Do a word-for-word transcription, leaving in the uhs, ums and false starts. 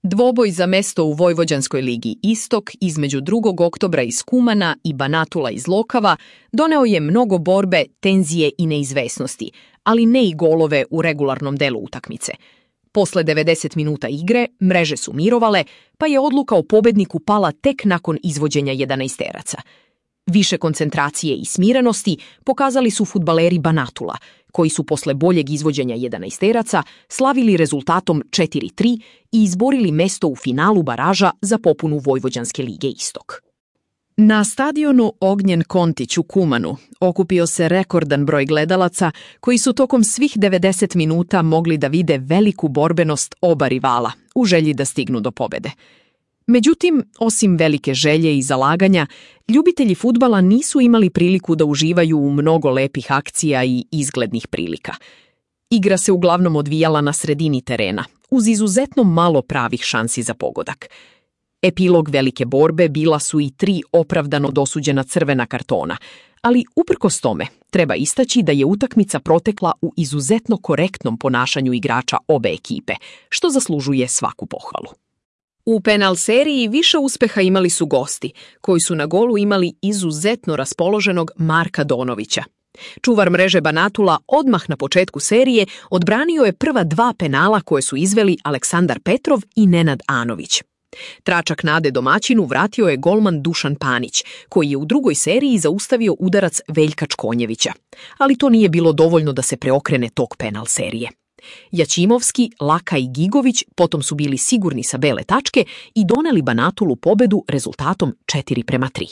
Dvoboj za mesto u Vojvođanskoj ligi Istok između drugog oktobra iz Kumana i Banatula iz Lokava doneo je mnogo borbe, tenzije i neizvesnosti, ali ne i golove u regularnom delu utakmice. Posle devedeset minuta igre mreže su mirovale, pa je odluka o pobedniku pala tek nakon izvođenja jedanaesteraca. Više koncentracije i smirenosti pokazali su fudbaleri Banatula, koji su posle boljeg izvođenja jedanaesteraca slavili rezultatom četiri tri i izborili mesto u finalu baraža za popunu Vojvođanske lige Istok. Na stadionu Ognjen Kontić u Kumanu okupio se rekordan broj gledalaca koji su tokom svih devedeset minuta mogli da vide veliku borbenost oba rivala u želji da stignu do pobede. Međutim, osim velike želje i zalaganja, ljubitelji fudbala nisu imali priliku da uživaju u mnogo lepih akcija i izglednih prilika. Igra se uglavnom odvijala na sredini terena, uz izuzetno malo pravih šansi za pogodak. Epilog velike borbe bila su i tri opravdano dosuđena crvena kartona, ali uprkos tome treba istaći da je utakmica protekla u izuzetno korektnom ponašanju igrača obe ekipe, što zaslužuje svaku pohvalu. U penal seriji više uspeha imali su gosti, koji su na golu imali izuzetno raspoloženog Marka Donovića. Čuvar mreže Banatula odmah na početku serije odbranio je prva dva penala koje su izveli Aleksandar Petrov i Nenad Anović. Tračak nade domaćinu vratio je golman Dušan Panić, koji je u drugoj seriji zaustavio udarac Veljka Čkonjevića, ali to nije bilo dovoljno da se preokrene tok penal serije. Jaćimovski, Laka i Gigović potom su bili sigurni sa bele tačke i doneli Banatulu pobedu rezultatom četiri prema tri.